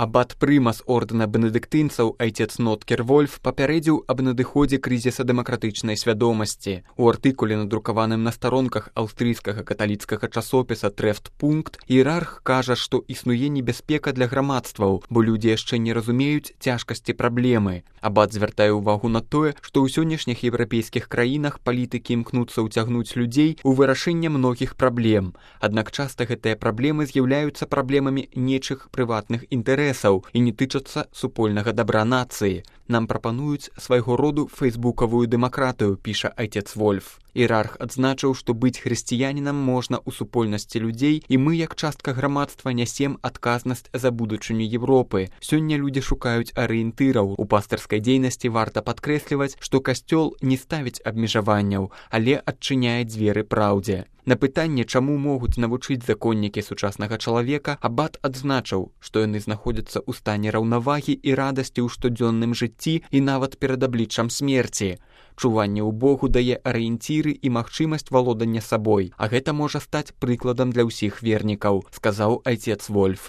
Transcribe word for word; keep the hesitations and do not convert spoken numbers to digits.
Абат прымас ордэна бенедыктынцаў айцец Ноткер Вольф папярэдзіў аб надыходзе крызіса дэмакратычнай свядомасці. У артыкуле, надрукаваным на старонках аўстрыйскага каталіцкага часопіса «Трефтпункт», іерарх кажа, што існуе небяспека для грамадстваў, бо людзі яшчэ не разумеюць цяжкасці праблемы. Абат звяртае ўвагу на тое, што ў сённяшніх еўрапейскіх краінах палітыкі імкнуцца ўцягнуць людзей у вырашэнне многіх праблем. Аднак часта гэтыя праблемы з'яўляюцца праблемамі нечых прыватных інтарэсаў і не тычацца супольнага дабра нацыі. Нам прапануюць свайго роду фейсбукавую дэмакратыю, піша айцец Вольф. Іерарх адзначыў, што быць хрысціянінам можна ў супольнасці людзей, і мы, як частка грамадства, нясем адказнасць за будучыню Европы. Сёння людзі шукаюць арыентыраў. У пастырскай дзейнасці варта падкрэсліваць, што касцёл не ставіць абмежаванняў, але адчыняе дзверы праўдзе. На пытанне, чаму могуць навучыць законнікі сучаснага чалавека, абат адзначыў, што яны знаходзяцца ў стане раўнавагі і радасці ў штодзённым жыцці і нават перад абліччам смерці. Чуванне ў Богу дае арыенціры і магчымасць валодання сабой, а гэта можа стаць прыкладам для ўсіх вернікаў, сказаў айцец Вольф.